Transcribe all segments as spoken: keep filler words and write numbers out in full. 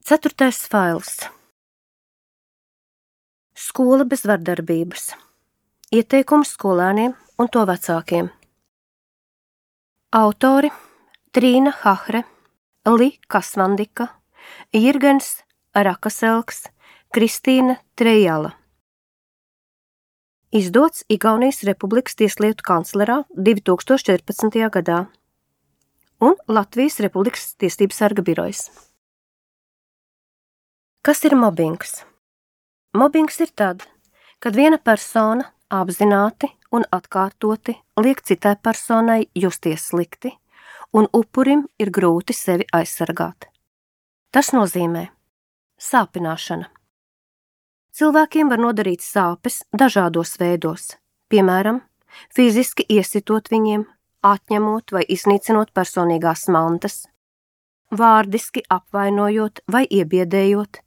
Ceturtais fails. Skola bez vardarbības. Ieteikums skolēniem un to vecākiem. Autori Trīna Hahre, Li Kasvandika, Jirgens Rakaselks, Kristīna Trejala. Izdots Igaunijas Republikas Tieslietu kanclerā divi tūkstoši četrpadsmitajā gadā un Latvijas Republikas Tiesības sarga birojas. Kas ir mobbings? Mobbings ir tad, kad viena persona apzināti un atkārtoti liek citai personai justies slikti, un upurim ir grūti sevi aizsargāt. Tas nozīmē sāpināšana. Cilvēkiem var nodarīt sāpes dažādos veidos, piemēram, fiziski iesitot viņiem, atņemot vai iznīcinot personīgās mantas, vārdiski apvainojot vai iebiedējot,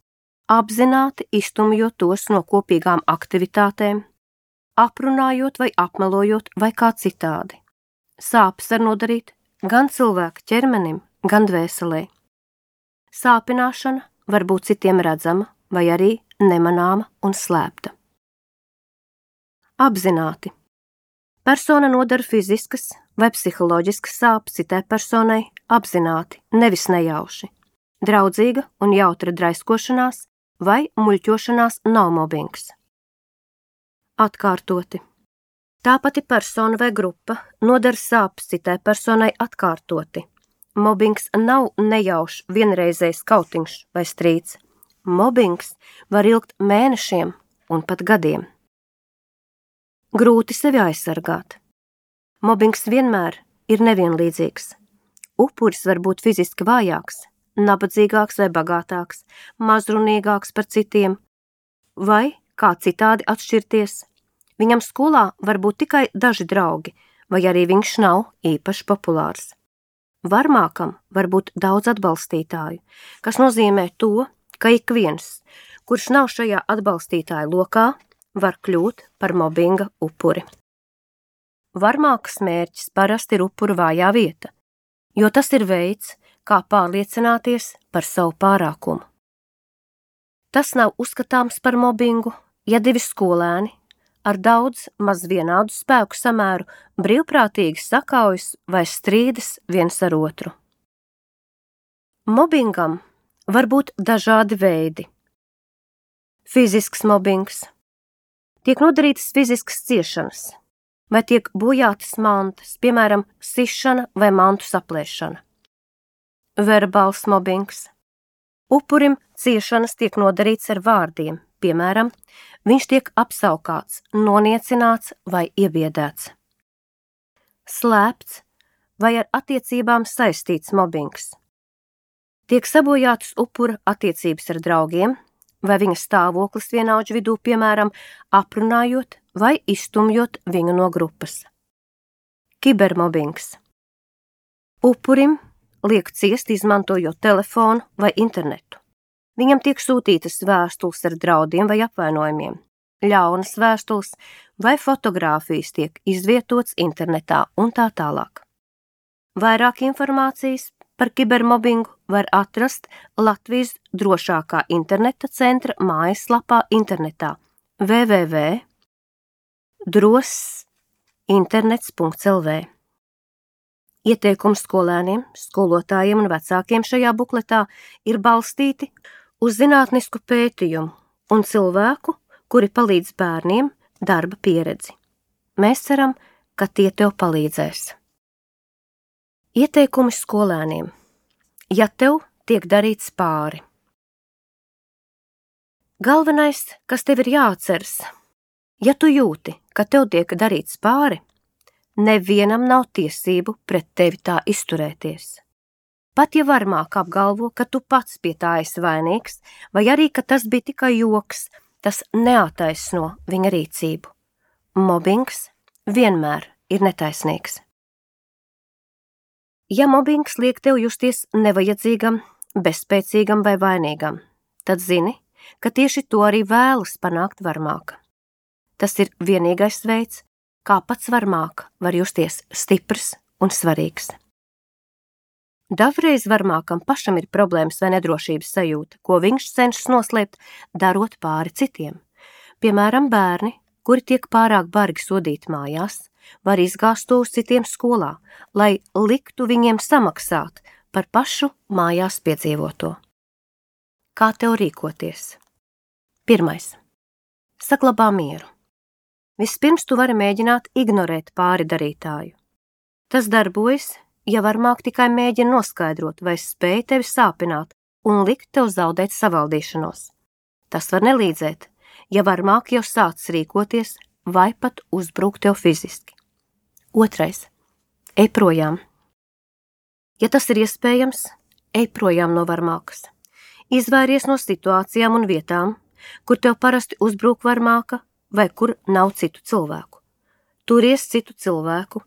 apzināti iztumjot tos no kopīgām aktivitātēm, aprunājot vai apmelojot vai kā citādi. Sāpes var nodarīt gan cilvēka ķermenim, gan dvēselē. Sāpināšana var būt citiem redzama vai arī nemanāma un slēpta. Apzināti. Persona nodara fiziskas vai psiholoģiskas sāpes citai personai apzināti, nevis nejauši. Draudzīga un jautra draiskošanās vai muļķošanās nav mobbings. Atkārtoti. Tā pati persona vai grupa nodara sāpes citai personai atkārtoti. Mobbings nav nejaušs vienreizējs kautiņš vai strīds. Mobbings var ilgt mēnešiem un pat gadiem. Grūti sevi aizsargāt. Mobbings vienmēr ir nevienlīdzīgs. Upuris var būt fiziski vājāks, nabadzīgāks vai bagātāks, mazrunīgāks par citiem, vai kā citādi atšķirties. Viņam skolā var būt tikai daži draugi, vai arī viņš nav īpaši populārs. Varmākam var būt daudz atbalstītāju, kas nozīmē to, ka ik viens, kurš nav šajā atbalstītāju lokā, var kļūt par mobbinga upuri. Varmākas mērķis parasti ir upura vājā vieta, jo tas ir veids, kā pārliecināties par savu pārākumu. Tas nav uzskatāms par mobbingu, ja divi skolēni ar daudz maz vienādu spēku samēru brīvprātīgi sakaujas vai strīdas viens ar otru. Mobbingam var būt dažādi veidi. Fizisks mobbings. Tiek nodarītas fiziskas ciešanas, vai tiek bojātas mantas, piemēram, sišana vai mantu saplēšana. Verbāls mobbings. Upurim ciešanas tiek nodarīts ar vārdiem, piemēram, viņš tiek apsaukāts, noniecināts vai iebiedēts. Slēpts vai ar attiecībām saistīts mobbings. Tiek sabojātas upura attiecības ar draugiem, vai viņa stāvoklis vienaudžu vidū, piemēram, aprunājot vai izstumjot viņu no grupas. Kibermobbings. Upurim liek ciest izmantojot telefonu vai internetu. Viņam tiek sūtītas vēstules ar draudiem vai apvainojumiem, ļaunas vēstules vai fotogrāfijas tiek izvietots internetā un tā tālāk. Vairāk informācijas par kibermobbingu var atrast Latvijas drošākā interneta centra mājaslapā internetā w w w punkt dross internets punkts l v. Ieteikums skolēniem, skolotājiem un vecākiem šajā bukletā ir balstīti uz zinātnisku pētījumu un cilvēku, kuri palīdz bērniem darba pieredzi. Mēs ceram, ka tie tev palīdzēs. Ieteikumi skolēniem. Ja tev tiek darīts pāri. Galvenais, kas tev ir jāatceras, ja tu jūti, ka tev tiek darīts pāri, nevienam nav tiesību pret tevi tā izturēties. Pat ja varmāk apgalvo, ka tu pats pie tā esi vainīgs, vai arī, ka tas bija tikai joks, tas neataisno viņa rīcību. Mobbings vienmēr ir netaisnīgs. Ja mobbings liek tev justies nevajadzīgam, bezspēcīgam vai vainīgam, tad zini, ka tieši to arī vēlas panākt varmāka. Tas ir vienīgais veids, kā pats varmāk var justies stiprs un svarīgs. Dažreiz varmākam pašam ir problēmas vai nedrošības sajūta, ko viņš cenšas noslēpt, darot pāri citiem. Piemēram, bērni, kuri tiek pārāk bargi sodīti mājās, var izgāzt to uz citiem skolā, lai liktu viņiem samaksāt par pašu mājās piedzīvoto. Kā tev rīkoties? Pirmais. Saglabā mieru. Vispirms tu vari mēģināt ignorēt pāri darītāju. Tas darbojas, ja varmāk tikai mēģina noskaidrot, vai spēj tevi sāpināt un likt tev zaudēt savaldīšanos. Tas var nelīdzēt, ja varmāk jau sācis rīkoties vai pat uzbrukt tev fiziski. Otrais. Ej projām. Ja tas ir iespējams, ej projām no varmākas. Izvairies no situācijām un vietām, kur tev parasti uzbruk varmāka vai kur nav citu cilvēku. Turies citu cilvēku,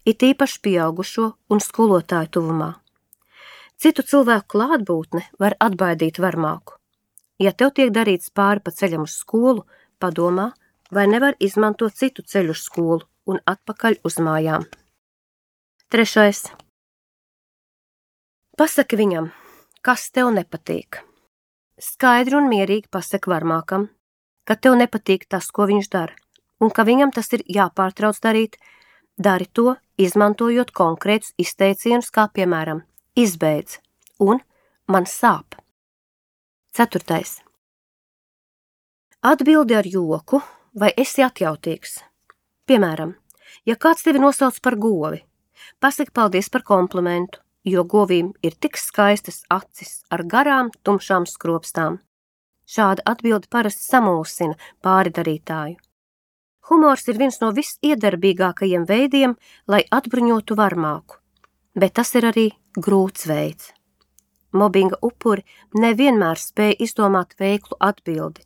it īpaši pieaugušo un skolotāju tuvumā. Citu cilvēku klātbūtne var atbaidīt varmāku. Ja tev tiek darīts pāri pa ceļam uz skolu, padomā, vai nevar izmantot citu ceļu uz skolu un atpakaļ uz mājām. Trešais. Pasaki viņam, kas tev nepatīk. Skaidri un mierīgi pasaki varmākam, ka tev nepatīk tas, ko viņš dara, un ka viņam tas ir jāpārtrauc darīt. Dari to, izmantojot konkrētus izteicienus, kā piemēram izbeidz un man sāp. Ceturtais. Atbildi ar joku vai esi atjautīgs. Piemēram, ja kāds tevi nosauc par govi, pasaki paldies par komplimentu, jo govīm ir tik skaistas acis ar garām, tumšām skropstām. Šāda atbilde parasti samulsina pāridarītāju. Humors ir viens no visiedarbīgākajiem veidiem, lai atbruņotu varmāku, bet tas ir arī grūts veids. Mobinga upuri nevienmēr spēj izdomāt veiklu atbildi.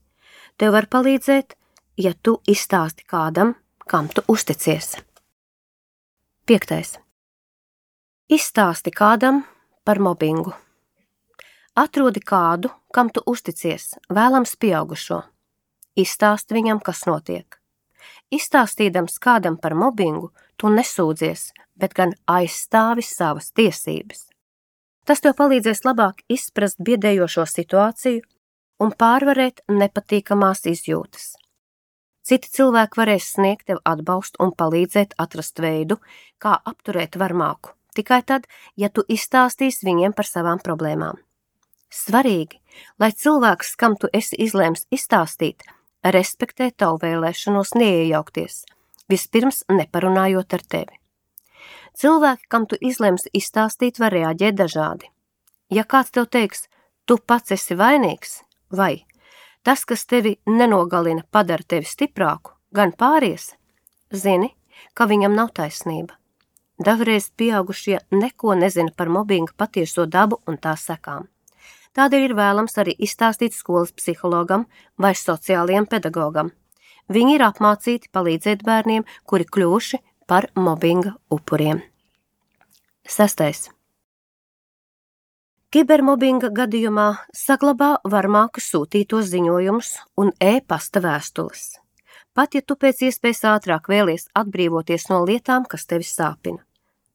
Tev var palīdzēt, ja tu izstāsti kādam, kam tu uzticies. Piektais. Izstāsti kādam par mobingu. Atrodi kādu, kam tu uzticies, vēlams pieaugušo. Izstāsti viņam, kas notiek. Izstāstīdams kādam par mobingu, tu nesūdzies, bet gan aizstāvi savas tiesības. Tas tev palīdzēs labāk izprast biedējošo situāciju un pārvarēt nepatīkamās izjūtas. Citi cilvēki varēs sniegt tev atbalstu un palīdzēt atrast veidu, kā apturēt varmāku, tikai tad, ja tu izstāstīsi viņiem par savām problēmām. Svarīgi, lai cilvēks, kam tu esi izlēms izstāstīt, respektē tavu vēlēšanos neiejaukties, vispirms neparunājot ar tevi. Cilvēki, kam tu izlems izstāstīt, var reaģēt dažādi. Ja kāds tev teiks, tu pats esi vainīgs, vai tas, kas tevi nenogalina, padara tevi stiprāku, gan pāries, zini, ka viņam nav taisnība. Dažreiz pieaugušie neko nezina par mobinga patieso dabu un tās sekām. Tādēļ ir vēlams arī izstāstīt skolas psihologam vai sociālajam pedagogam. Viņi ir apmācīti palīdzēt bērniem, kuri kļuvuši par mobinga upuriem. Sestais. Kibermobinga gadījumā saglabā varmāku sūtītos ziņojumus un e-pasta vēstules. Pat ja tu pēc iespējas ātrāk vēlies atbrīvoties no lietām, kas tevi sāpina.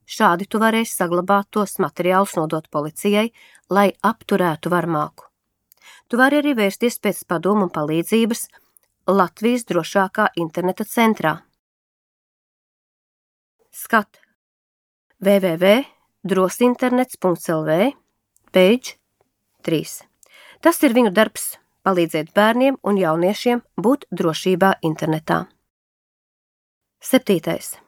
Šādi tu varēsi saglabāt tos materiālus nodot policijai, lai apturētu varmāku. Tu vari arī vērsties pēc padomu un palīdzības Latvijas drošākā interneta centrā. Skat w w w punkt drosinternets punkt l v, page trīs. Tas ir viņu darbs palīdzēt bērniem un jauniešiem būt drošībā internetā. Septītais.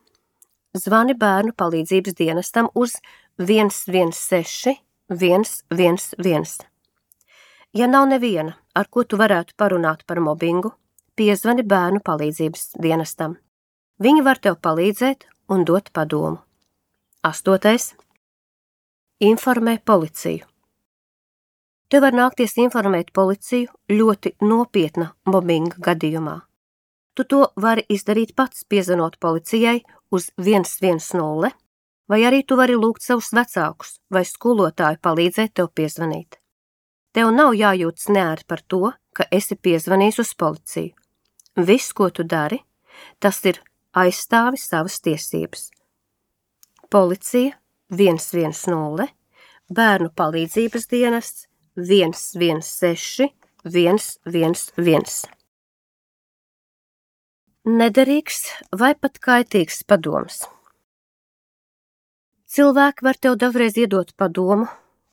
Zvani bērnu palīdzības dienestam uz viens viens seši viens viens viens. Ja nav neviena, ar ko tu varētu parunāt par mobingu, piezvani bērnu palīdzības dienestam. Viņi var tev palīdzēt un dot padomu. Astotais. Informē policiju. Tev var nākties informēt policiju ļoti nopietna mobinga gadījumā. Tu to vari izdarīt pats, piezvanot policijai uz viens viens nulle, vai arī tu vari lūgt savus vecākus vai skolotāju palīdzēt tev piezvanīt. Tev nav jājūtas neērt par to, ka esi piezvanījis uz policiju. Viss, ko tu dari, tas ir aizstāvi savas tiesības. Policija viens viens nulle bērnu palīdzības dienests viens viens seši viens viens viens. Nederīgs vai pat kaitīgs padoms. Cilvēki var tev dažreiz iedot padomu,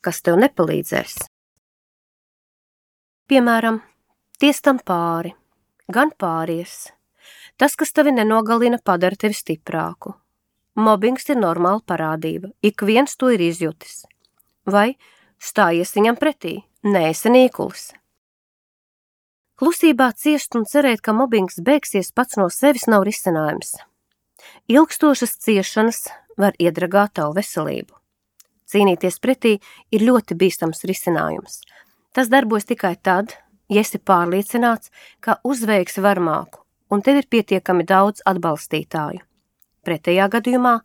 kas tev nepalīdzēs. Piemēram, ties tam pāri, gan pāries. Tas, kas tevi nenogalina, padara tevi stiprāku. Mobbings ir normāla parādība, ik viens to ir izjutis. Vai stājies viņam pretī, neesi nīkulis. Klusībā ciest un cerēt, ka mobbings beigsies pats no sevis nav risinājums. Ilgstošas ciešanas var iedragāt tavu veselību. Cīnīties pretī ir ļoti bīstams risinājums. Tas darbojas tikai tad, ja esi pārliecināts, ka uzveiksi varmāku un tev ir pietiekami daudz atbalstītāju. Pretējā gadījumā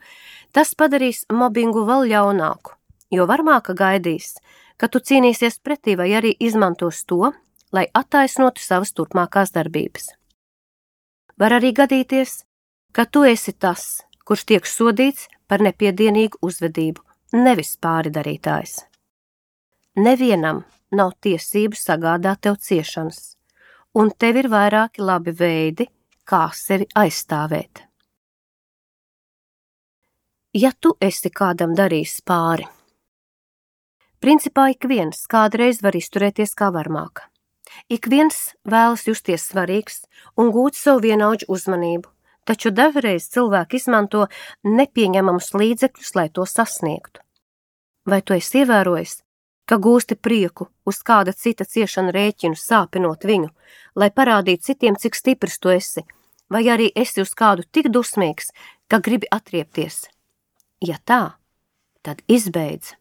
tas padarīs mobbingu vēl ļaunāku, jo varmāka gaidīs, ka tu cīnīsies pretī vai arī izmantos to, lai attaisnotu savas turpmākās darbības. Var arī gadīties, ka tu esi tas, kurš tiek sodīts par nepiedienīgu uzvedību, nevis pāridarītājs. Nevienam nav tiesību sagādāt tev ciešanas, un tev ir vairāki labi veidi, kā sevi aizstāvēt. Ja tu esi kādam darījis pāri, principā ik viens kādreiz var izturēties kā varmāka. Ik viens vēlas justies svarīgs un gūt savu vienaudžu uzmanību, taču dažreiz cilvēki izmanto nepieņemamus līdzekļus, lai to sasniegtu. Vai tu esi ievērojis, ka gūsti prieku uz kāda cita ciešana rēķinu, sāpinot viņu, lai parādītu citiem, cik stiprs tu esi, vai arī esi uz kādu tik dusmīgs, ka gribi atriepties? Ja tā, tad izbeidz.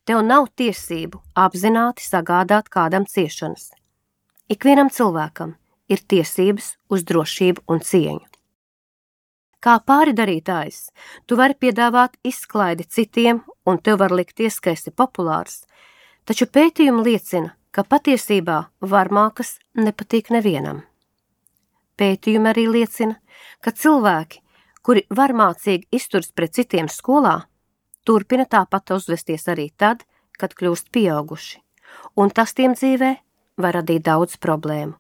Tev nav tiesību apzināti sagādāt kādam ciešanas. Ikvienam cilvēkam ir tiesības uz drošību un cieņu. Kā pāridarītājs, tu vari piedāvāt izklaidi citiem un tev var likties, ka esi populārs, taču pētījumi liecina, ka patiesībā varmākas nepatīk nevienam. Pētījumi arī liecina, ka cilvēki, kuri varmācīgi izturas pret citiem skolā, turpina tāpat uzvesties arī tad, kad kļūst pieauguši, un tas tiem dzīvē var radīt daudz problēmu.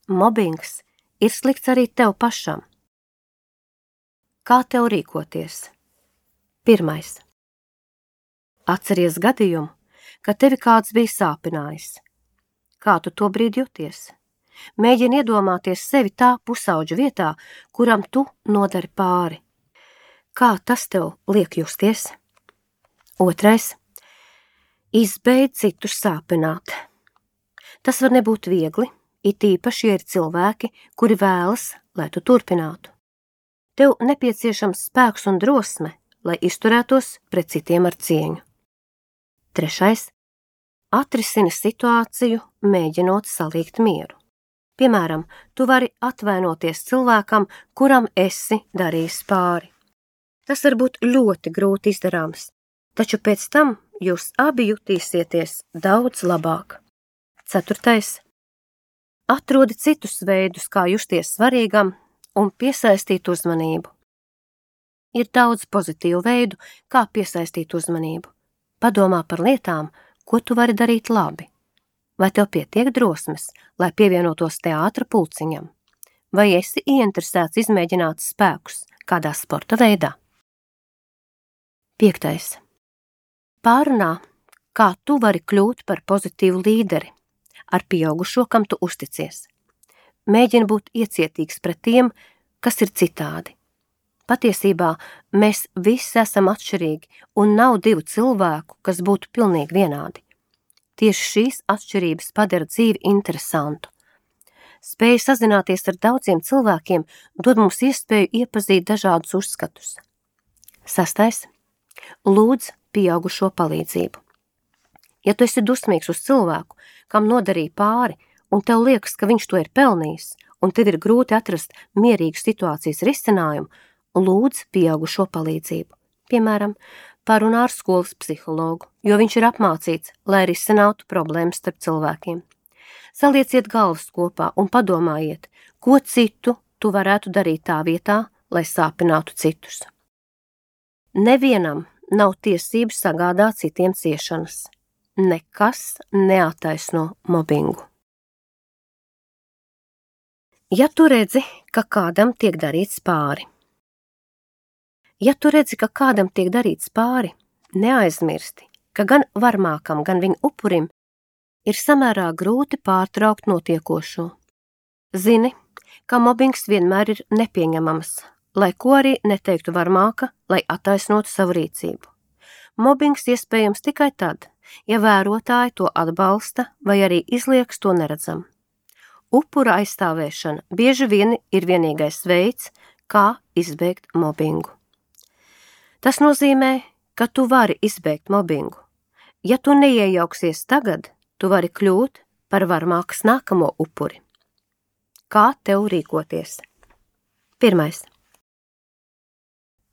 Mobbings ir slikts arī tev pašam. Kā tev rīkoties? Pirmais. Atceries gadījumu, kad tevi kāds bija sāpinājis. Kā tu to brīdi jūties? Mēģini iedomāties sevi tā pusauģa vietā, kuram tu nodari pāri. Kā tas tev liek justies? Otrais. Izbeidz citus sāpināt. Tas var nebūt viegli, it īpaši, ja ir cilvēki, kuri vēlas, lai tu turpinātu. Tev nepieciešams spēks un drosme, lai izturētos pret citiem ar cieņu. Trešais. Atrisini situāciju, mēģinot salikt mieru. Piemēram, tu vari atvainoties cilvēkam, kuram esi darījis pāri. Tas var būt ļoti grūti izdarāms, taču pēc tam jūs abi jutīsieties daudz labāk. Ceturtais. Atrodi citus veidus, kā justies svarīgam un piesaistīt uzmanību. Ir daudz pozitīvu veidu, kā piesaistīt uzmanību. Padomā par lietām, ko tu vari darīt labi. Vai tev pietiek drosmes, lai pievienotos teātra pulciņam? Vai esi ieinteresēts izmēģināt spēkus kādā sporta veidā? Piektais. Pārunā, kā tu vari kļūt par pozitīvu līderi ar pieaugušo, kam tu uzticies. Mēģini būt iecietīgs pret tiem, kas ir citādi. Patiesībā mēs visi esam atšķirīgi un nav divu cilvēku, kas būtu pilnīgi vienādi. Tieši šīs atšķirības padara dzīvi interesantu. Spēja sazināties ar daudziem cilvēkiem dod mums iespēju iepazīt dažādus uzskatus. Sastais. Lūdz pieaugušo palīdzību. Ja tu esi dusmīgs uz cilvēku, kam nodarīja pāri, un tev liekas, ka viņš to ir pelnījis, un tev ir grūti atrast mierīgu situācijas risinājumu, lūdz pieaugušo palīdzību. Piemēram, parunā ar skolas psihologu, jo viņš ir apmācīts, lai risinātu problēmas starp cilvēkiem. Salieciet galvas kopā un padomājiet, ko citu tu varētu darīt tā vietā, lai sāpinātu citus. Nevienam nav tiesības sagādāt citiem ciešanas. Nekas neattaisno mobbingu. Ja tu redzi, ka kādam tiek darīts pāri. Ja tu redzi, ka kādam tiek darīts pāri, neaizmirsti, ka gan varmākam, gan viņa upurim ir samērā grūti pārtraukt notiekošo. Zini, ka mobbings vienmēr ir nepieņemams, lai ko arī neteiktu varmāka, lai attaisnotu savu rīcību. Mobbings iespējams tikai tad, ja vērotāji to atbalsta vai arī izlieks to neredzam. Upura aizstāvēšana bieži vien ir vienīgais veids, kā izbēgt mobbingu. Tas nozīmē, ka tu vari izbēgt mobbingu. Ja tu neiejauksies tagad, tu vari kļūt par varmākas nākamo upuri. Kā tev rīkoties? Pirmais.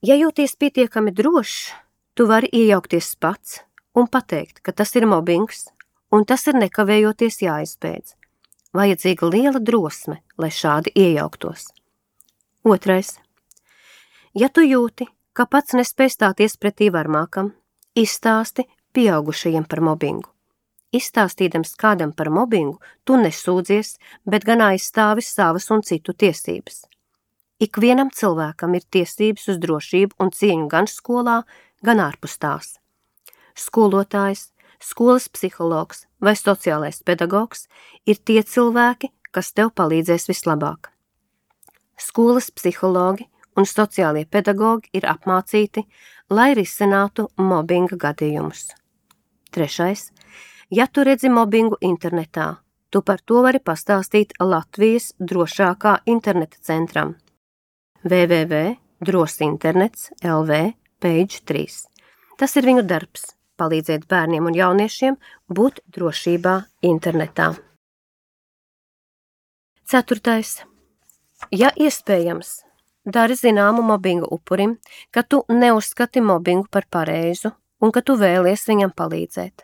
Ja jūties pietiekami drošs, tu vari iejaukties pats un pateikt, ka tas ir mobbings, un tas ir nekavējoties jāizbeidz. Vajadzīga liela drosme, lai šādi iejauktos. Otrais. Ja tu jūti, ka pats nespēj stāties pretī varmākam, izstāsti pieaugušajiem par mobbingu. Izstāstīdams kādam par mobbingu, tu nesūdzies, bet gan aizstāvi savas un citu tiesības. Ikvienam cilvēkam ir tiesības uz drošību un cieņu gan skolā, gan ārpus tās. Skolotājs, skolas psihologs vai sociālais pedagogs ir tie cilvēki, kas tev palīdzēs vislabāk. Skolas psihologi un sociālie pedagogi ir apmācīti, lai risinātu mobbinga gadījumus. Trešais. Ja tu redzi mobbingu internetā, tu par to vari pastāstīt Latvijas drošākā interneta centram w w w punkt drosinternets punkt l v page trīs. Tas ir viņu darbs – palīdzēt bērniem un jauniešiem būt drošībā internetā. Ceturtais. Ja iespējams, dari zināmu mobbinga upurim, ka tu neuzskati mobbingu par pareizu un ka tu vēlies viņam palīdzēt.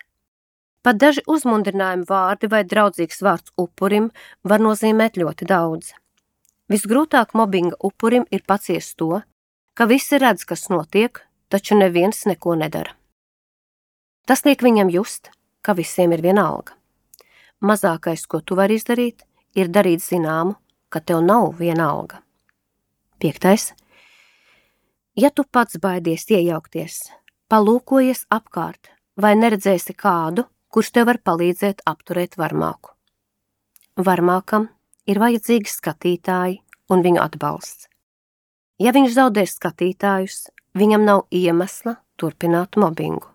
Pat daži uzmundrinājumi vārdi vai draudzīgs vārds upurim var nozīmēt ļoti daudz. Visgrūtāk mobbinga upurim ir paciest to, ka visi redz, kas notiek, taču neviens neko nedara. Tas liek viņam just, ka visiem ir vienalga. Mazākais, ko tu vari izdarīt, ir darīt zināmu, ka tev nav vienalga. Piektais. Ja tu pats baidies iejaukties, palūkojies apkārt vai neredzēsi kādu, kurš tev var palīdzēt apturēt varmāku. Varmākam ir vajadzīgi skatītāji un viņu atbalsts. Ja viņš zaudē skatītājus, viņam nav iemesla turpināt mobbingu.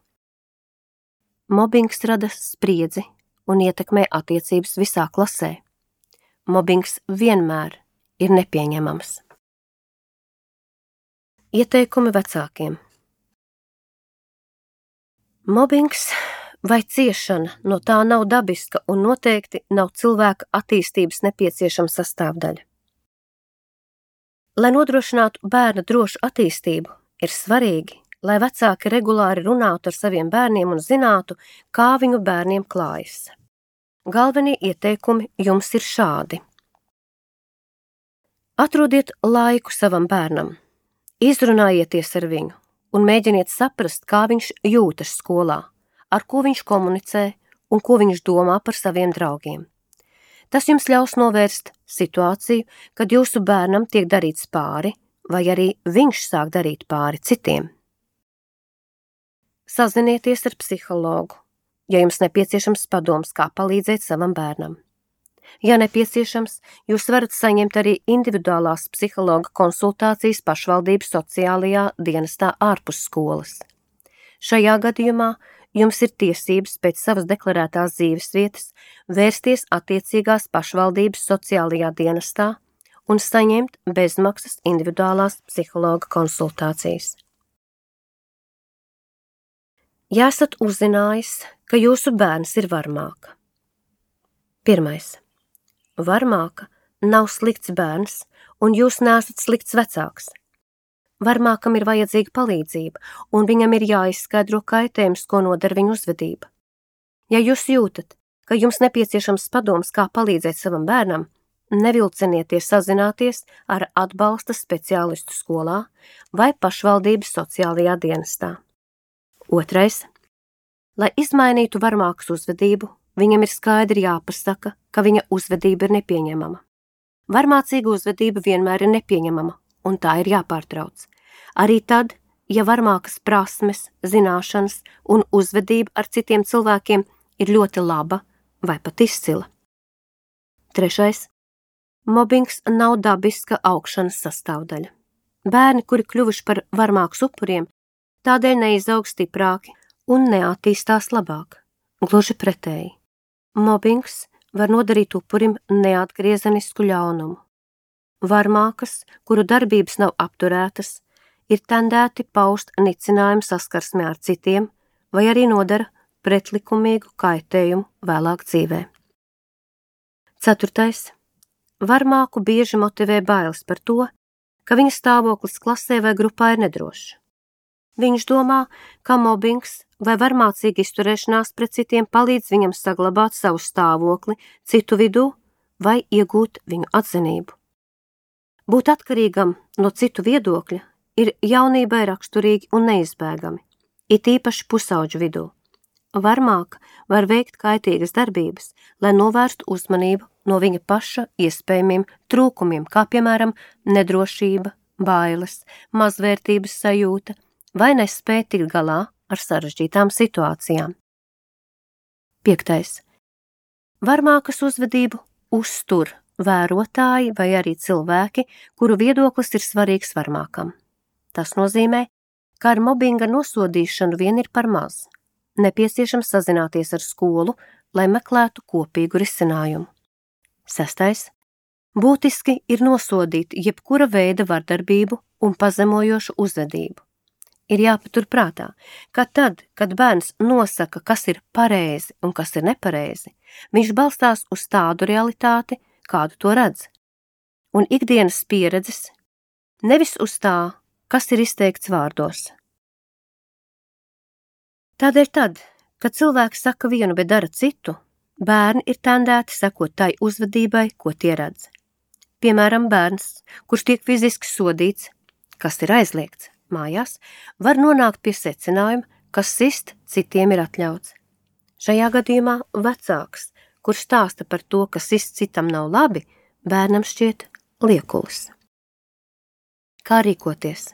Mobbings rada spriedzi un ietekmē attiecības visā klasē. Mobbings vienmēr ir nepieņemams. Ieteikumi vecākiem. Mobbings vai ciešana no tā nav dabiska un noteikti nav cilvēka attīstības nepieciešama sastāvdaļa. Lai nodrošinātu bērna drošu attīstību, ir svarīgi, lai vecāki regulāri runātu ar saviem bērniem un zinātu, kā viņu bērniem klājas. Galvenie ieteikumi jums ir šādi. Atrodiet laiku savam bērnam, izrunājieties ar viņu un mēģiniet saprast, kā viņš jūtas skolā, ar ko viņš komunicē un ko viņš domā par saviem draugiem. Tas jums ļaus novērst situāciju, kad jūsu bērnam tiek darīts pāri, vai arī viņš sāk darīt pāri citiem. Sazinieties ar psihologu, ja jums nepieciešams padoms, kā palīdzēt savam bērnam. Ja nepieciešams, jūs varat saņemt arī individuālās psihologa konsultācijas pašvaldības sociālajā dienestā ārpus skolas. Šajā gadījumā jums ir tiesības pēc savas deklarētās dzīvesvietas vērsties attiecīgās pašvaldības sociālajā dienestā un saņemt bezmaksas individuālās psihologa konsultācijas. Ja esat uzzinājis, ka jūsu bērns ir varmāka. Pirmais. Varmāka nav slikts bērns, un jūs neesat slikts vecāks. Varmākam ir vajadzīga palīdzība, un viņam ir jāizskaidro kaitējums, ko nodara viņa uzvedība. Ja jūs jūtat, ka jums nepieciešams padoms, kā palīdzēt savam bērnam, nevilcinieties sazināties ar atbalsta speciālistu skolā vai pašvaldības sociālajā dienestā. Otrais. Lai izmainītu varmākas uzvedību, viņam ir skaidri jāpasaka, ka viņa uzvedība ir nepieņemama. Varmācīga uzvedība vienmēr ir nepieņemama, un tā ir jāpārtrauc. Arī tad, ja varmākas prasmes, zināšanas un uzvedība ar citiem cilvēkiem ir ļoti laba vai pat izcila. Trešais. Mobbings nav dabiska augšanas sastāvdaļa. Bērni, kuri kļuvuši par varmākas upuriem, tādēļ neizaug stiprāki un neattīstās labāk. Gluži pretēji. Mobbings var nodarīt upurim neatgriezenisku ļaunumu. Varmākas, kuru darbības nav apturētas, ir tendēti paust nicinājumu saskarsmē ar citiem vai arī nodara pretlikumīgu kaitējumu vēlāk dzīvē. Ceturtais. Varmāku bieži motivē bailes par to, ka viņa stāvoklis klasē vai grupā ir nedrošs. Viņš domā, ka mobbings vai varmācīga izturēšanās pret citiem palīdz viņam saglabāt savu stāvokli citu vidū vai iegūt viņu atzinību. Būt atkarīgam no citu viedokļa ir jaunībai raksturīgi un neizbēgami, it īpaši pusauģu vidū. Varmāka var veikt kaitīgas darbības, lai novērstu uzmanību no viņa paša iespējamiem trūkumiem, kā piemēram nedrošība, bailes, mazvērtības sajūta vai nespēja tikt galā ar sarežģītām situācijām. Piektais. Varmākas uzvedību uztur vērotāji vai arī cilvēki, kuru viedoklis ir svarīgs varmākam. Tas nozīmē, ka ar mobbinga nosodīšanu vien ir par maz. Nepieciešams sazināties ar skolu, lai meklētu kopīgu risinājumu. Sestais. Būtiski ir nosodīt jebkura veida vardarbību un pazemojošu uzvedību. Ir jāpatur prātā, ka tad, kad bērns nosaka, kas ir pareizi un kas ir nepareizi, viņš balstās uz tādu realitāti, kādu to redz, un ikdienas pieredzes, nevis uz tā, kas ir izteikts vārdos. Tādēļ tad, kad cilvēks saka vienu, bet dara citu, bērni ir tendēti sekot tai uzvedībai, ko tie redz. Piemēram, bērns, kurš tiek fiziski sodīts, kas ir aizliegts mājās, var nonākt pie secinājuma, ka sist citiem ir atļauts. Šajā gadījumā vecāks, kurš stāsta par to, ka sist citam nav labi, bērnam šķiet liekulis. Kā rīkoties?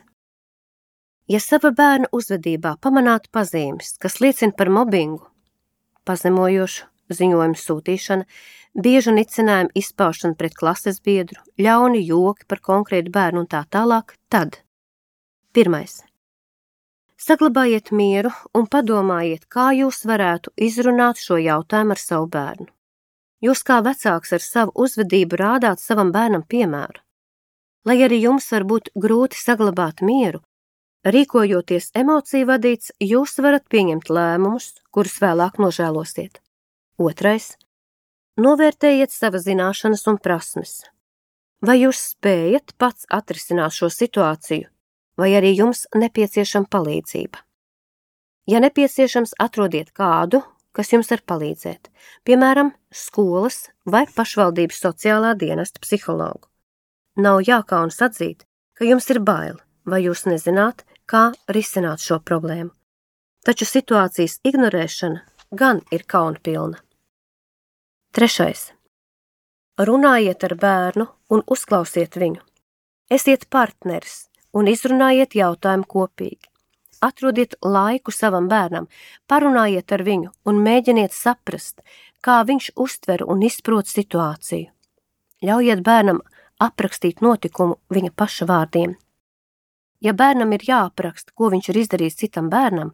Ja sava bērna uzvedībā pamanāt pazīmes, kas liecina par mobbingu, pazemojošu ziņojumu sūtīšana, biežu nicinājumu izpaušana pret klases biedru, ļauni joki par konkrētu bērnu un tā tālāk, tad pirmais. Saglabājiet mieru un padomājiet, kā jūs varētu izrunāt šo jautājumu ar savu bērnu. Jūs kā vecāks ar savu uzvedību rādāt savam bērnam piemēru. Lai arī jums var būt grūti saglabāt mieru, rīkojoties emociju vadīts, jūs varat pieņemt lēmumus, kurus vēlāk nožēlosiet. Otrais. Novērtējiet savas zināšanas un prasmes. Vai jūs spējat pats atrisināt šo situāciju, vai arī jums nepieciešama palīdzība? Ja nepieciešams, atrodiet kādu, kas jums var palīdzēt, piemēram, skolas vai pašvaldības sociālā dienesta psihologu. Nav jākaunas atzīt, ka jums ir bail, vai jūs nezināt, kā risināt šo problēmu. Taču situācijas ignorēšana gan ir kaunpilna. Trešais. Runājiet ar bērnu un uzklausiet viņu. Esiet partneris un izrunājiet jautājumu kopīgi. Atrodiet laiku savam bērnam, parunājiet ar viņu un mēģiniet saprast, kā viņš uztver un izprot situāciju. Ļaujiet bērnam aprakstīt notikumu viņa paša vārdiem. Ja bērnam ir jāapraksta, ko viņš ir izdarījis citam bērnam,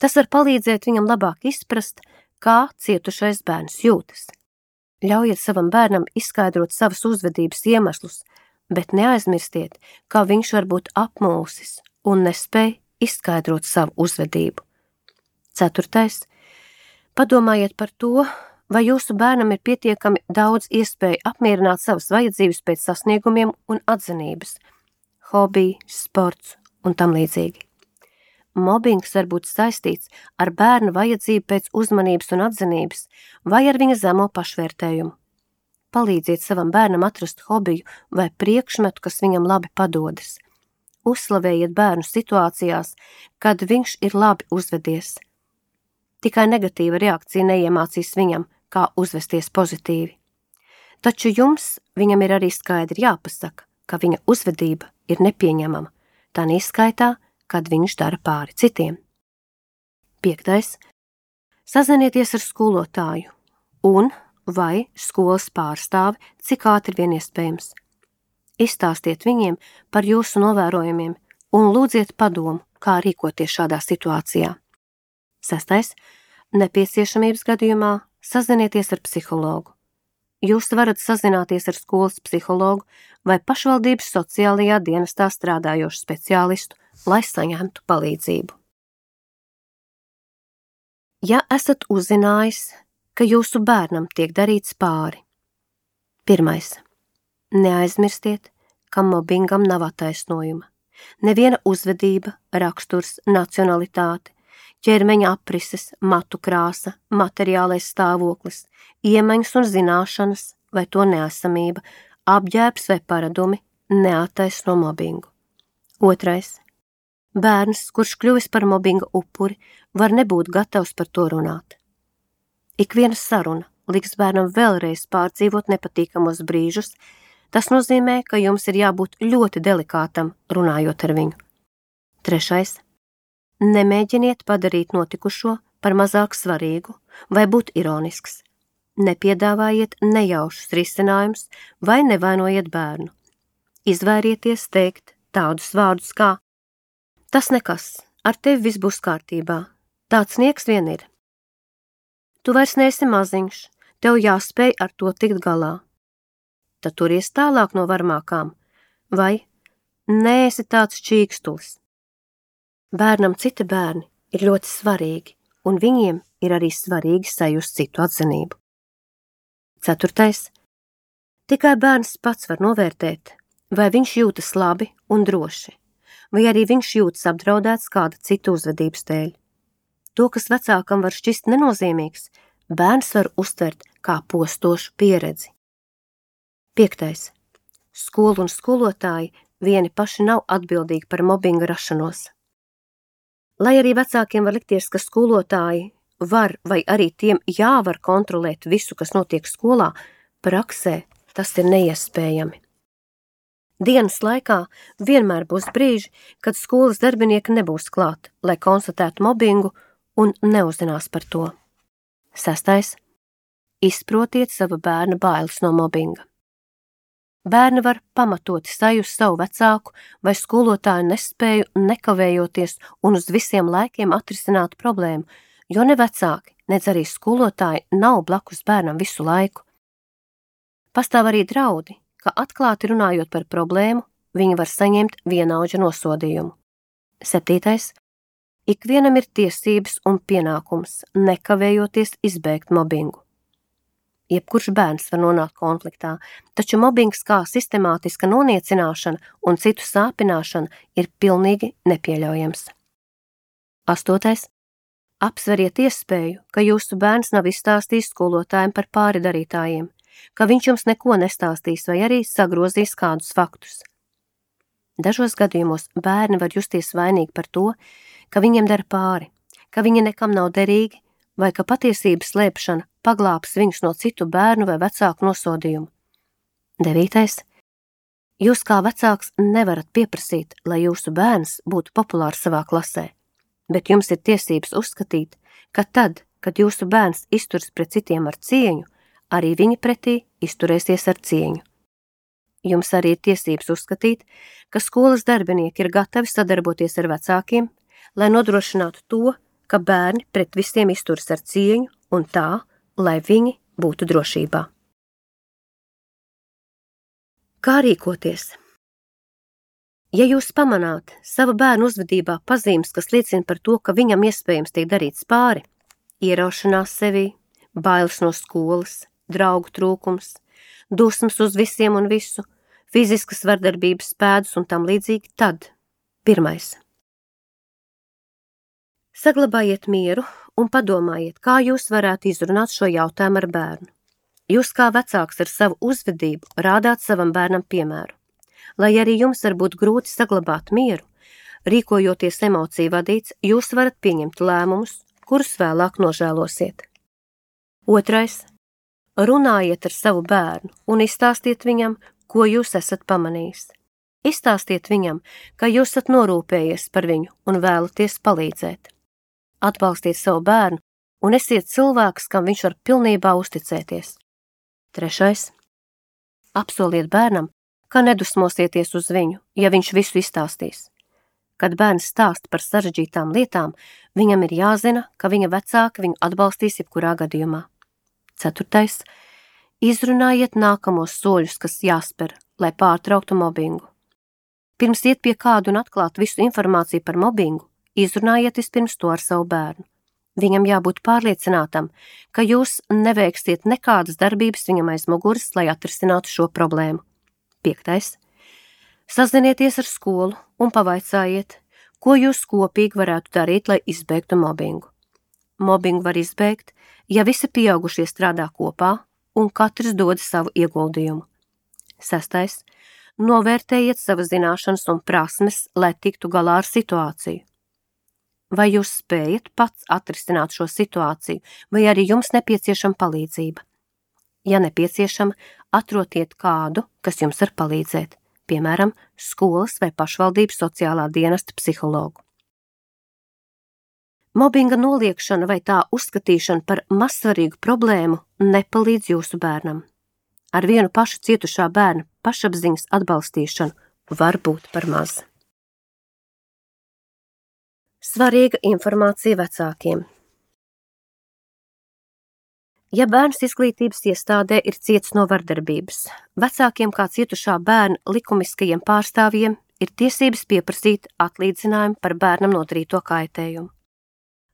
tas var palīdzēt viņam labāk izprast, kā cietušais bērns jūtas. Ļaujiet savam bērnam izskaidrot savas uzvedības iemeslus, bet neaizmirstiet, kā viņš var būt apmulsis un nespēj izskaidrot savu uzvedību. Ceturtais. Padomājiet par to, vai jūsu bērnam ir pietiekami daudz iespēju apmierināt savas vajadzības pēc sasniegumiem un atzinības, hobiji, sports un tam līdzīgi. Mobbings var būt saistīts ar bērnu vajadzību pēc uzmanības un atzinības vai ar viņa zemo pašvērtējumu. Palīdziet savam bērnam atrast hobiju vai priekšmetu, kas viņam labi padodas. uzslavējiet bērnu situācijās, kad viņš ir labi uzvedies. Tikai negatīva reakcija neiemācīs viņam, kā uzvesties pozitīvi. Taču jums viņam ir arī skaidri jāpasaka, ka viņa uzvedība ir nepieņemama, tā neizskaitā, kad viņš dara pāri citiem. Piektais. Sazinieties ar skolotāju un vai skolas pārstāvi, cik ātri vien iespējams. Izstāstiet viņiem par jūsu novērojumiem un lūdziet padomu, kā rīkoties šādā situācijā. Sestais. Nepieciešamības gadījumā sazinieties ar psihologu. Jūs varat sazināties ar skolas psihologu vai pašvaldības sociālajā dienestā strādājošu speciālistu, lai saņemtu palīdzību. Ja esat uzzinājis, ka jūsu bērnam tiek darīts pāri. Pirmais. Neaizmirstiet, ka mobbingam nav attaisnojuma. Neviena uzvedība, raksturs, nacionalitāte, ķermeņa aprises, matu krāsa, materiālais stāvoklis, iemaņas un zināšanas vai to neesamība, apģērbs vai paradumi neattaisno mobbingu. Otrais. Bērns, kurš kļuvis par mobbinga upuri, var nebūt gatavs par to runāt. Ikviena saruna liks bērnam vēlreiz pārdzīvot nepatīkamos brīžus, tas nozīmē, ka jums ir jābūt ļoti delikātam runājot ar viņu. Trešais. Nemēģiniet padarīt notikušo par mazāk svarīgu vai būt ironisks. Nepiedāvājiet nejaušus risinājumus vai nevainojiet bērnu. Izvairieties teikt tādus vārdus kā: tas nekas, ar tevi viss būs kārtībā, tāds nieks vien ir. Tu vairs neesi maziņš, tev jāspēj ar to tikt galā. Tad turies tālāk no varmākām, vai neesi tāds čīkstulis. Bērnam citi bērni ir ļoti svarīgi, un viņiem ir arī svarīgi sajust citu atzinību. Ceturtais. Tikai bērns pats var novērtēt, vai viņš jūtas labi un droši, vai arī viņš jūtas apdraudēts kāda cita uzvedības dēļ. To, kas vecākam var šķist nenozīmīgs, bērns var uztvert kā postošu pieredzi. Piektais. Skolu un skolotāji vieni paši nav atbildīgi par mobbinga rašanos. Lai arī vecākiem var likties, ka skolotāji var vai arī tiem jāvar kontrolēt visu, kas notiek skolā, praksē tas ir neiespējami. Dienas laikā vienmēr būs brīži, kad skolas darbinieki nebūs klāt, lai konstatētu mobbingu un neuzzinās par to. Sestais. Izprotiet sava bērna bailes no mobbinga. Bērni var pamatoti sajust savu vecāku vai skolotāju nespēju nekavējoties un uz visiem laikiem atrisināt problēmu, jo ne vecāki, nec arī skolotāji nav blakus bērnam visu laiku. Pastāv arī draudi, ka atklāti runājot par problēmu, viņi var saņemt vienaudža nosodījumu. Septītais. Ikvienam ir tiesības un pienākums nekavējoties izbēgt mobbingu. Jebkurš bērns var nonākt konfliktā, taču mobbings kā sistemātiska noniecināšana un citu sāpināšana ir pilnīgi nepieļaujams. Astotais. Apsveriet iespēju, ka jūsu bērns nav izstāstījis skolotājiem par pāri darītājiem, ka viņš jums neko nestāstīs vai arī sagrozīs kādus faktus. Dažos gadījumos bērni var justies vainīgi par to, ka viņiem dara pāri, ka viņi nekam nav derīgi, vai ka patiesības slēpšana paglābs viņus no citu bērnu vai vecāku nosodījumu. Devītais. Jūs kā vecāks nevarat pieprasīt, lai jūsu bērns būtu populārs savā klasē, bet jums ir tiesības uzskatīt, ka tad, kad jūsu bērns izturas pret citiem ar cieņu, arī viņi pretī izturēsies ar cieņu. Jums arī ir tiesības uzskatīt, ka skolas darbinieki ir gatavi sadarboties ar vecākiem, lai nodrošinātu to, ka bērni pret visiem izturas ar cieņu un tā, lai viņi būtu drošībā. Kā rīkoties? Ja jūs pamanāt sava bērna uzvedībā pazīmes, kas liecina par to, ka viņam iespējams tiek darīts pāri, ieraušanās sevī, bailes no skolas, draugu trūkums, dusmas uz visiem un visu, fiziskas vardarbības pēdus un tam līdzīgi, tad pirmais. Saglabājiet mieru un padomājiet, kā jūs varētu izrunāt šo jautājumu ar bērnu. Jūs kā vecāks ar savu uzvedību rādāt savam bērnam piemēru. Lai arī jums var būt grūti saglabāt mieru, rīkojoties emociju vadīts, jūs varat pieņemt lēmumus, kurus vēlāk nožēlosiet. Otrais. Runājiet ar savu bērnu un izstāstiet viņam, ko jūs esat pamanījis. Izstāstiet viņam, ka jūs esat norūpējies par viņu un vēlaties palīdzēt. Atbalstiet savu bērnu un esiet cilvēks, kam viņš var pilnībā uzticēties. Trešais. Apsoliet bērnam, ka nedusmosieties uz viņu, ja viņš visu izstāstīs. Kad bērns stāst par sarežģītām lietām, viņam ir jāzina, ka viņa vecāki viņu atbalstīs jebkurā gadījumā. Ceturtais. Izrunājiet nākamos soļus, kas jāspēr, lai pārtrauktu mobbingu. Pirms iet pie kādu un atklāt visu informāciju par mobbingu, izrunājiet vispirms to ar savu bērnu. Viņam jābūt pārliecinātam, ka jūs neveiksiet nekādas darbības viņam aiz muguras, lai atrisinātu šo problēmu. Piektais. Sazinieties ar skolu un pavaicājiet, ko jūs kopīgi varētu darīt, lai izbeigtu mobbingu. Mobbingu var izbeigt, ja visi pieaugušie strādā kopā un katrs dod savu ieguldījumu. Sestais. Novērtējiet savas zināšanas un prasmes, lai tiktu galā ar situāciju. Vai jūs spējat pats atrisināt šo situāciju, vai arī jums nepieciešama palīdzība? Ja nepieciešama, atrodiet kādu, kas jums var palīdzēt, piemēram, skolas vai pašvaldības sociālā dienesta psihologu. Mobbinga noliekšana vai tā uzskatīšana par mazsvarīgu problēmu nepalīdz jūsu bērnam. Ar vienu pašu cietušā bērna pašapziņas atbalstīšanu var būt par maz. Svarīga informācija vecākiem. Ja bērns izglītības iestādē ir cietis no vardarbības, vecākiem kā cietušā bērna likumiskajiem pārstāvjiem ir tiesības pieprasīt atlīdzinājumu par bērnam nodarīto kaitējumu.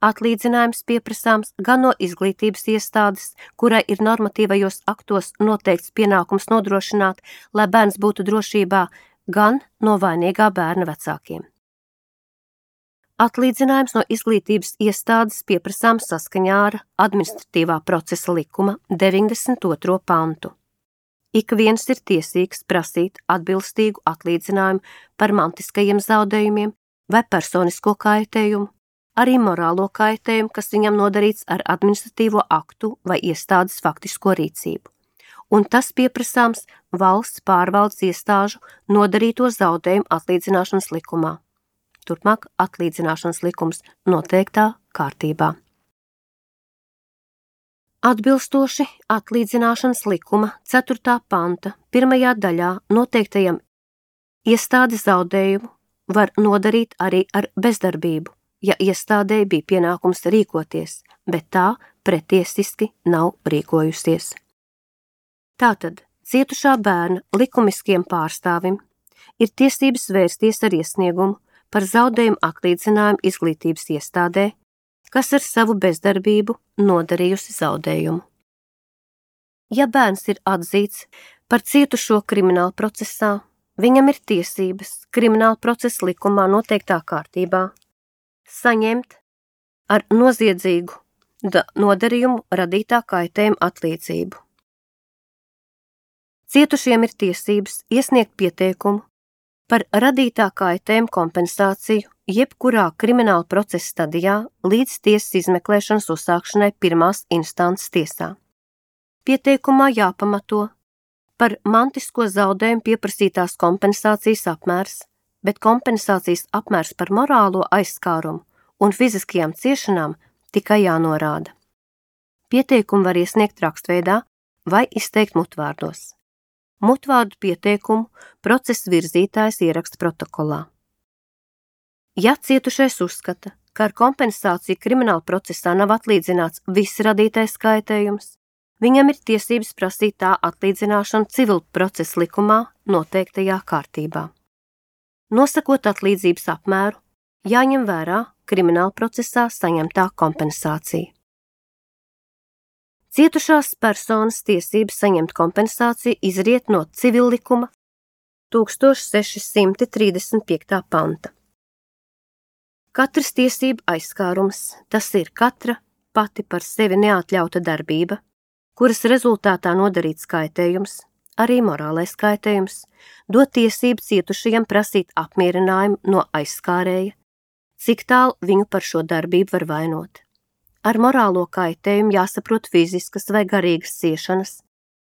Atlīdzinājums pieprasāms gan no izglītības iestādes, kurai ir normatīvajos aktos noteikts pienākums nodrošināt, lai bērns būtu drošībā, gan no vainīgā bērna vecākiem. Atlīdzinājums no izglītības iestādes pieprasāms saskaņā ar administratīvā procesa likuma deviņdesmit otro pantu. Ik viens ir tiesīgs prasīt atbilstīgu atlīdzinājumu par mantiskajiem zaudējumiem vai personisko kaitējumu, arī morālo kaitējumu, kas viņam nodarīts ar administratīvo aktu vai iestādes faktisko rīcību. Un tas pieprasāms valsts pārvaldes iestāžu nodarīto zaudējumu atlīdzināšanas likumā. Turpmāk atlīdzināšanas likums noteiktā kārtībā. Atbilstoši atlīdzināšanas likuma ceturtā panta pirmajā daļā noteiktajam iestādes zaudējumu var nodarīt arī ar bezdarbību, ja iestādē bija pienākums rīkoties, bet tā pretiesiski nav rīkojusies. Tātad cietušā bērna likumiskiem pārstāvim ir tiesības vērsties ar iesniegumu par zaudējumu atlīdzinājumu izglītības iestādē, kas ar savu bezdarbību nodarījusi zaudējumu. Ja bērns ir atzīts par cietušo krimināla procesā, viņam ir tiesības krimināla procesa likumā noteiktā kārtībā saņemt ar noziedzīgu nodarījumu radītā kaitējuma atlīdzību. Cietušiem ir tiesības iesniegt pieteikumu par radītā kaitējuma kompensāciju jebkurā krimināla procesa stadijā līdz tiesas izmeklēšanas uzsākšanai pirmās instances tiesā. Pieteikumā jāpamato par mantisko zaudējumu pieprasītās kompensācijas apmērs, bet kompensācijas apmērs par morālo aizskārumu un fiziskajām ciešanām tikai jānorāda. Pieteikumu var iesniegt rakstveidā vai izteikt mutvārdos. Mutvārdu pieteikumu procesa virzītājs ieraksta protokolā. Ja cietušais uzskata, ka ar kompensāciju krimināla procesā nav atlīdzināts viss radītais kaitējums, viņam ir tiesības prasīt tā atlīdzināšanu civil procesa likumā noteiktajā kārtībā. Nosakot atlīdzības apmēru, jāņem vērā krimināla procesā saņemtā kompensācija. Cietušās personas tiesības saņemt kompensāciju izriet no civillikuma tūkstoš seši simti trīsdesmit piekta panta. Katrs tiesību aizskārums, tas ir katra pati par sevi neatļauta darbība, kuras rezultātā nodarīts kaitējums, arī morālais kaitējums, dot tiesību cietušajam prasīt apmierinājumu no aizskārēja, cik tālu viņu par šo darbību var vainot. Ar morālo kaitējumu jāsaprot fiziskas vai garīgas ciešanas,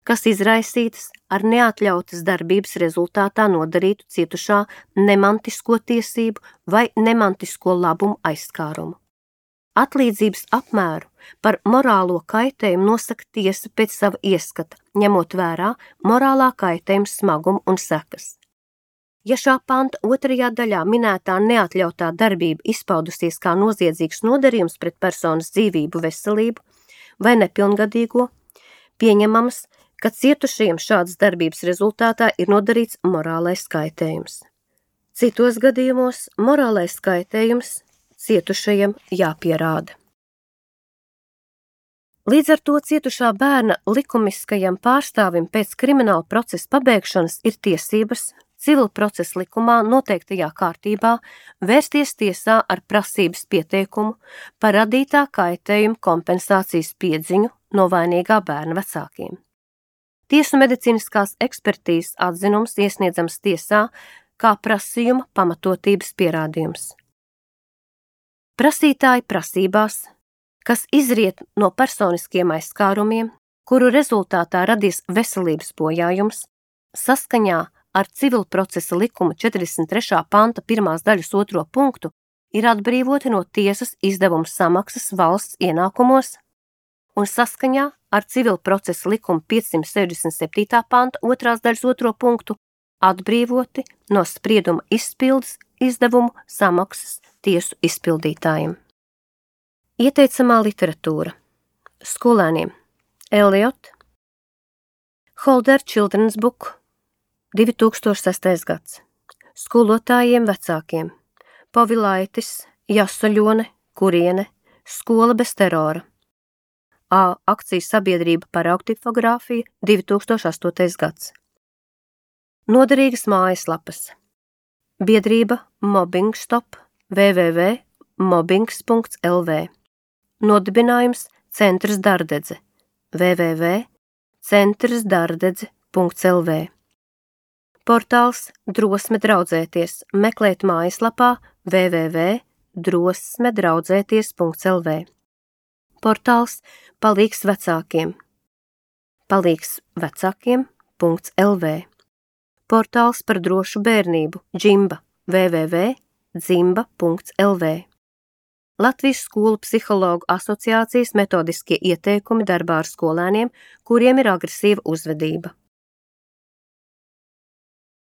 kas izraisītas ar neatļautas darbības rezultātā nodarītu cietušā nemantisko tiesību vai nemantisko labumu aizskārumu. Atlīdzības apmēru par morālo kaitējumu nosaka tiesa pēc sava ieskata, ņemot vērā morālā kaitējuma smagumu un sekas. Ja šā panta otrajā daļā minētā neatļautā darbība izpaudusies kā noziedzīgs nodarījums pret personas dzīvību, veselību vai nepilngadīgo, pieņemams, ka cietušajiem šādas darbības rezultātā ir nodarīts morālais kaitējums. Citos gadījumos morālais kaitējums cietušajam jāpierāda. Līdz ar to cietušā bērna likumiskajam pārstāvim pēc krimināla procesa pabeigšanas ir tiesības civil procesa likumā noteiktajā kārtībā vērsties tiesā ar prasības pieteikumu par radītā kaitējuma kompensācijas piedziņu no vainīgā bērna vecākiem. Tiesu medicīniskās ekspertīzes atzinums iesniedzams tiesā kā prasījuma pamatotības pierādījums. Prasītāji prasībās, kas izriet no personiskiem aizskārumiem, kuru rezultātā radies veselības bojājums, saskaņā ar civil procesa likuma četrdesmit trešā panta pirmās daļas otro punktu, ir atbrīvoti no tiesas izdevumu samaksas valsts ienākumos un saskaņā ar civil procesa likuma piecsimt sešdesmit septītā panta otrās daļas otro punktu atbrīvoti no sprieduma izpildes izdevumu samaksas tiesu izpildītājiem. Ieteicamā literatūra. Skolēniem Eliot, Holder Children's Book, divi tūkstoši sestais gads. Skolotājiem vecākiem Povilaitis, Jasoļone, Kuriene, Skola bez terora. A. Akcijas sabiedrība paraugtipogrāfija, divi tūkstoši astotais gads. Noderīgas mājaslapas. Biedrība Mobbing Stop, w w w punkt mobbings punkts l v. Nodibinājums Centrs Dardedze, w w w punkt centrs dardedze punkts l v. Portāls Drosme draudzēties, meklēt mājaslapā w w w punkt drosme draudzēties punkts l v. Portāls Palīgs vecākiem, palīgs vecākiem punkts l v. Portāls par drošu bērnību, Džimba, w w w punkt dzimba punkts l v. Latvijas skolu psihologu asociācijas metodiskie ieteikumi darbā ar skolēniem, kuriem ir agresīva uzvedība.